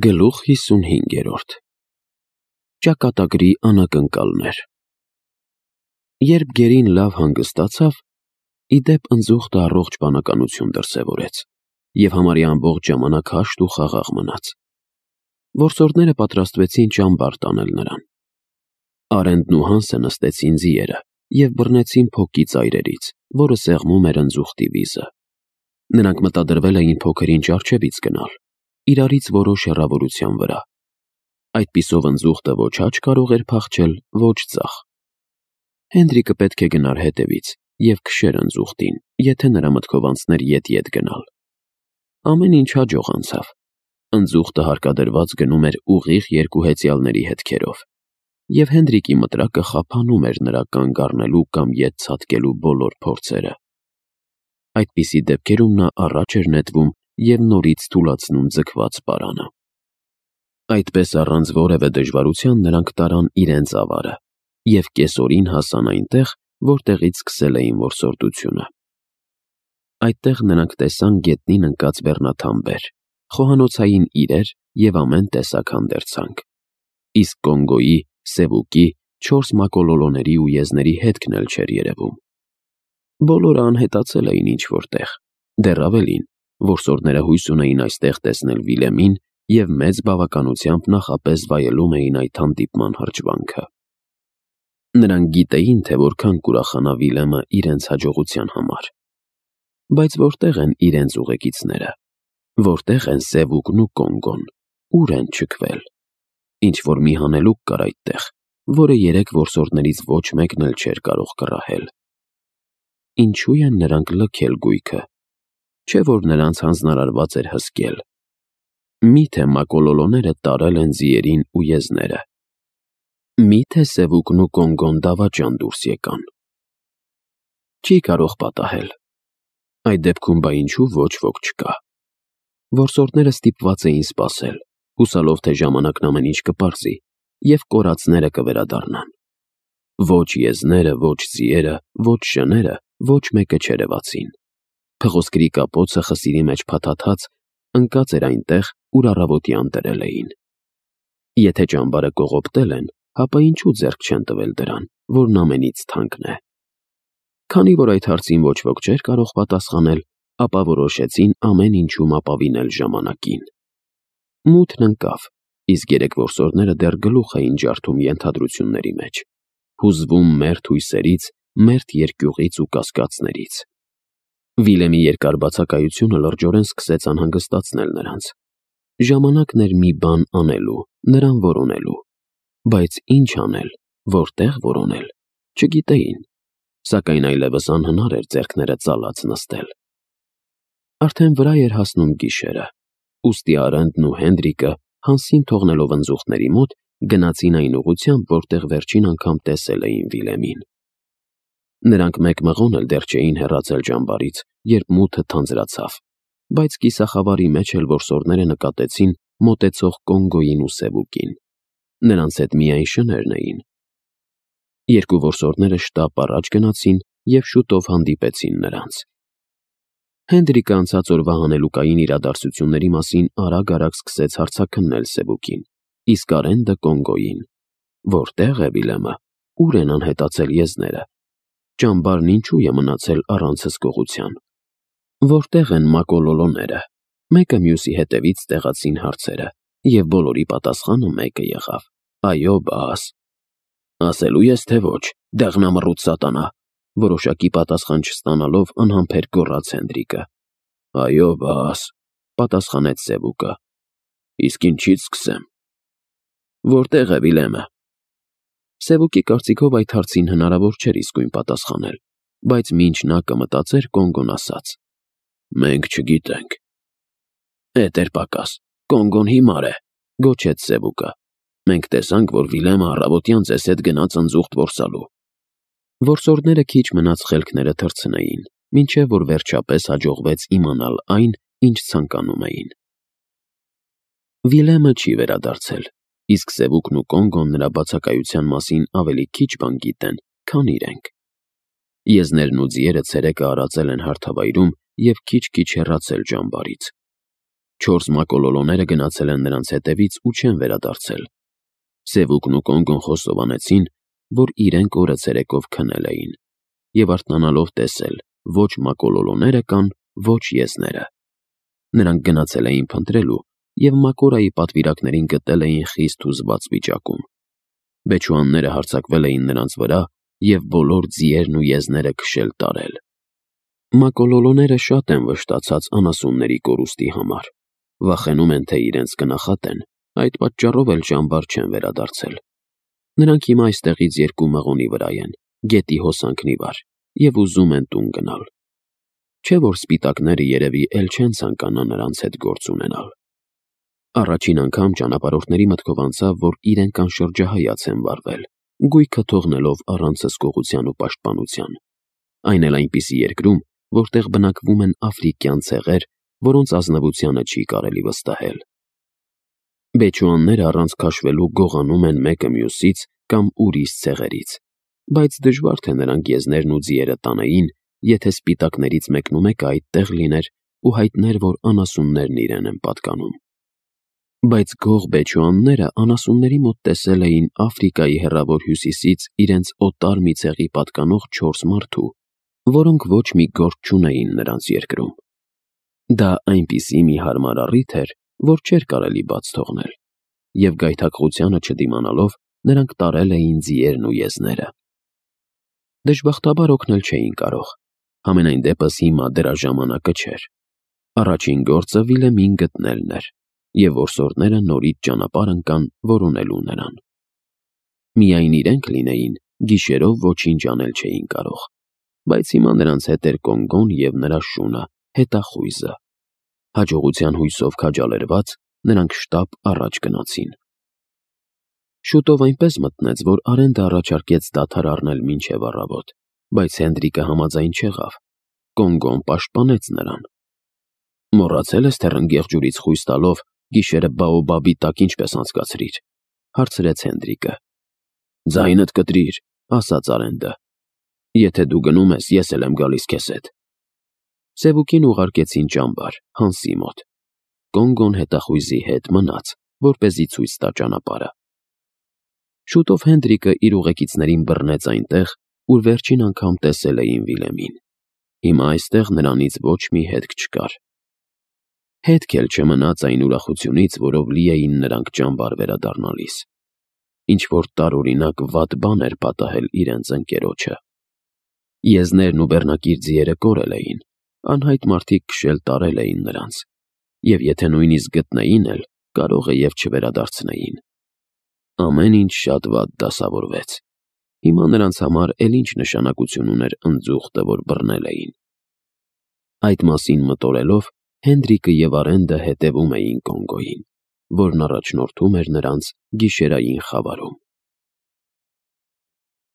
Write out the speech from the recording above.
Գլուխ 55 Ճակատագրի անակնկալներ։ Երբ գերին լավ հանգստացավ, ի դեպ ընձուղտը առողջ բանականություն դրսևորեց և համարյա ամբողջ ժամանակ հաշտ ու խաղաղ մնաց։ Որսորդները պատրաստվեցին ճամբար տանել նրան։ Արենդն ու Հանսը նստեցին ձիերը և բռնեցին փոկի ծայրերից, որը սեղմում էր ընձուղտի վիզը։ Նրանք մտադրվել էին փոքր ինչ առջևից գնալ, իրարից որոշ հեռավորության վրա։ Այդպիսով ընձուղտը ոչ աջ կարող էր փախչել, ոչ ձախ։ Հենրիկը պետք է գնար հետևից և քշեր ընձուղտին, եթե նրա մտքով անցներ ետ-ետ գնալ։ Ամեն ինչ հաջող անցավ։ Ընձուղտը հարկադրված գնում էր ուղիղ երկու հեծյալների հետքերով, և Հենրիկի մտրակը խափանում էր նրա կանգ առնելու կամ ետ ցատկելու բոլոր փորձերը։ Այդպիսի դեպքերում նա առաջ էր նետվում և նորից թուլացնում ձգված պարանը։ Այդպես առանց որևէ դժվարության նրանք տարան իրենց ավարը և կեսօրին հասան այնտեղ, որտեղից սկսել էին որսորդությունը։ Այդտեղ նրանք տեսան գետնին ընկած բեռնաթամբեր, խոհանոցային իրեր և ամեն տեսակ հանդերձանք։ Իսկ Կոնգոյի, Սևուկի, 4 մակոլոլոների ու եզների հետքն էլ չէր երևում։ Բոլորը անհետացել էին ինչ-որ տեղ, դեռ ավելին, որսորդները հույս ունեին այստեղ տեսնել Վիլեմին և մեծ բավականությամբ նախապես վայելում էին այդ հանդիպման հրճվանքը։ Նրանք գիտեին, թե որքան կուրախանա Վիլեմը իրենց հաջողության համար։ Բայց որտե՞ղ են իրենց ուղեկիցները, որտե՞ղ են Սևուկն ու Կոնգոն, ուր են չքվել։ Ինչ-որ մի հանելուկ կար այդտեղ, որը երեք որսորդներից ոչ մեկն էլ չէր կարող կռահել։ Ինչու են նրանք լքել գույքը, չէ՞ որ նրանց հանձնարարված էր հսկել։ Մի՞թե մակոլոլոները տարել են ձիերին ու եզները։ Մի՞թե Սևուկն ու Կոնգոն դավաճան դուրս եկան։ Չի կարող պատահել։ Այդ դեպքում բա ինչու ոչ ոք չկա։ Որսորդները ստիպված էին սպասել, հուսալով, թե ժամանակն ամեն ինչ կպարզի, և կորածները կվերադառնան։ Ոչ եզները, ոչ ձիերը, ոչ շները, ոչ մեկը չերևացին։ Փղոսկրի կապոցը խսիրի մեջ փաթաթած ընկած էր այնտեղ, ուր առավոտյան դրել էին։ Եթե ճամբարը կողոպտել են, հապա ինչու ձեռք չեն տվել դրան, որն ամենից թանկն է։ Քանի որ այդ հարցին ոչ ոք չէր կարող պատասխանել, ապա որոշեցին ամեն ինչում ապավինել ժամանակին։ Մութն ընկավ, իսկ երեք որսորդները դեռ գլուխ էին ջարդում ենթադրությունների մեջ, հուզվում մերթ հույսերից, մերթ երկյուղից ու կասկածներից։ Վիլեմի երկար բացակայությունը լրջորեն սկսեց անհանգստացնել նրանց։ Ժամանակն էր մի բան անելու, նրան որոնելու։ Բայց ինչ անել, որտեղ որոնել, չգիտեին, սակայն այլևս անհնար էր ձեռքները ծալած նստել։ Արդեն վրա էր հասնում գիշերը, ուստի Արենդն ու Հենրիկը, Հանսին թողնելով ընձուղտների մոտ, գնացին այն ուղղությամբ, որտեղ վերջին անգամ տեսել էին Վիլեմին։ Նրանք մեկ մղոն էլ դեռ չէին հեռացել ճամբարից, երբ մութը թանձրացավ, բայց կիսախավարի մեջ էլ որսորդները նկատեցին մոտեցող Կոնգոյին ու Սևուկին։ Նրանց հետ միայն շներն էին։ Երկու որսորդները շտապ առաջ գնացին և շուտով հանդիպեցին նրանց։ Հենրիկը անցած օրվա հանելուկային իրադարձությունների մասին արագ-արագ սկսեց հարցաքննել Սևուկին, իսկ Արենդը Կոնգոյին։ Որտե՞ղ է Վիլեմը, ուր են անհետացել եզները։ Ճամբարն ինչու է մնացել առանց հսկողության։ Որտե՞ղ են մակոլոլոները։ Մեկը մյուսի հետևից տեղացին հարցերը, և բոլորի պատասխանը մեկը եղավ. այո, բաս։ Ասելու ես, թե ոչ, դեղնամռութ սատանա, որոշակի պատասխան չստանալով անհամբեր գոռաց Հենրիկը։ Այո, բաս, պատասխանեց Սևուկը։ Իսկ ինչից սկսեմ։ Որտե՞ղ է Վիլեմը։ Սևուկի կարծիքով այդ հարցին հնարավոր չէր իսկույն պատասխանել, բայց մինչ նա կմտածեր, Կոնգոն ասաց. Մենք չգիտենք։ Էդ էր պակաս, Կոնգոն հիմար է, գոչեց Սևուկը։ Մենք տեսանք, որ Վիլեմը առավոտյան ձեզ հետ գնաց ընձուղտ որսալու։ Որսորդները քիչ մնաց խելքները թռցնեին, մինչև որ վերջապես հաջողվեց իմանալ այն, ինչ ցանկանում էին։ Վիլեմը չի վերադարձել, իսկ Սևուկն ու Կոնգոն նրա բացակայության մասին ավելի քիչ բան գիտեն, քան իրենք։ Եզներն ու ձիերը ցերեկը արածել են հարթավայրում և քիչ-քիչ հեռացել ճամբարից։ 4 մակոլոլոները գնացել են նրանց հետևից ու չեն վերադարձել։ Սևուկն ու Կոնգոն խոստովանեցին, որ իրենք օրը ցերեկով քնել էին եւ արթնանալով տեսել ոչ մակոլոլոները կան, ոչ եզները։ Նրանք գնացել էին փնտրելու եւ Մակորայի պատվիրակներին գտել էին խիստ հուզված վիճակում։ Բեչուանները հարձակվել էին նրանց վրա եւ բոլոր ձիերն ու եզները քշել տարել։ Մակոլոլոները շատ են վշտացած անասունների կորուստի համար։ Վախենում են, թե իրենց կնախատեն, այդ պատճառով էլ ճամբար չեն վերադարձել։ Նրանք հիմա այստեղից 2 մղոնի վրա են, գետի հոսանքն ի վար, եւ ուզում են տուն գնալ։ Չէ՞ որ սպիտակները երևի էլ չեն ցանկանա նրանց հետ գործ ունենալ։ Առաջին անգամ ճանապարհորդների մտքով անցավ, որ իրենք անշրջահայաց են վարվել, գույքը թողնելով առանց հսկողության ու պաշտպանության։ Այն էլ այնպիսի երկրում, որտեղ բնակվում են աֆրիկյան ցեղեր, որոնց ազնվությանը չի կարելի վստահել։ Բեչուանները առանց քաշվելու գողանում են մեկը մյուսից կամ ուրիշ ցեղերից, բայց դժվար թե նրանք եզներն ու ձիերը տանեին, եթե սպիտակներից մեկնումեկը այդտեղ լիներ ու հայտներ, որ անասուններն իրեն են պատկանում։ Բայց գող բեչուանները անասունների մոտ տեսել էին Աֆրիկայի հեռավոր հյուսիսից իրենց օտար մի ցեղի պատկանող 4 մարդու, որոնք ոչ մի գործ չունեին նրանց երկրում։ Դա այնպիսի մի հարմար առիթ էր, որ չէր կարելի բաց թողնել, եւ գայթակղությանը չդիմանալով նրանք տարել էին ձիերն ու եզները։ Դժբախտաբար օգնել չէին կարող, համենայն դեպս հիմա դրա ժամանակը չէր։ Առաջին գործը Վիլեմին գտնելն էր, եւ որսորդները նորից ճանապարհ ընկան որոնելու նրան։ Միայն իրենք լինեին, գիշերով ոչինչ անել չէին կարող, բայց հիմա նրանց հետ էր Կոնգոն եւ նրա շունը, հետախույզը։ Հաջողության հույսով քաջալերված նրանք շտապ առաջ գնացին։ Շուտով այնպես մտնեց, որ Արենդը առաջարկեց դադար առնել մինչև առավոտ, բայց Հենդրիկը համաձայն չեղավ։ Կոնգոն պաշտպանեց նրան։ Մոռացել ես, թե ռնգեղ ջուրից խույս տալով գիշերը բաոբաբի տակ ինչպես անցկացրիր, հարցրեց Հենդրիկը։ Ձայնդ կտրիր, ասաց Արենդը։ Եթե դու գնում ես, ես էլ եմ գալիս քեզ հետ։ Սևուկին ուղարկեցին ճամբար, Հանսի մոտ։ Կոնգոն հետախույզի հետ մնաց, որպեսզի ցույց տա ճանապարհը։ Շուտով Հենդրիկը իր ուղեկիցներին բռնեց այնտեղ, ուր վերջին անգամ տեսել էին Վիլեմին։ Հիմա այստեղ նրանից ոչ մի հետք չկար։ Հետք էլ չմնաց այն ուրախությունից, որով լի էին նրանք ճամբար վերադառնալիս։ Ինչ-որ տարօրինակ վատ բան էր պատահել իրենց ընկերոջը։ Եզներն ու բեռնակիր ձիերը կորել էին, անհայտ մարդիկ քշել տարել էին նրանց, եւ եթե նույնիսկ գտնեին էլ, կարող է եւ չվերադարձնեին։ Ամեն ինչ շատ վատ դասավորվեց։ Հիմա նրանց համար էլ ինչ նշանակություն ուներ ընձուղտը, որ բռնել էին։ Այդ մասին մտորելով Հենդրիկը եւ Արենդը հետևում էին Կոնգոյին, որն առաջնորդում էր նրանց գիշերային խավարում։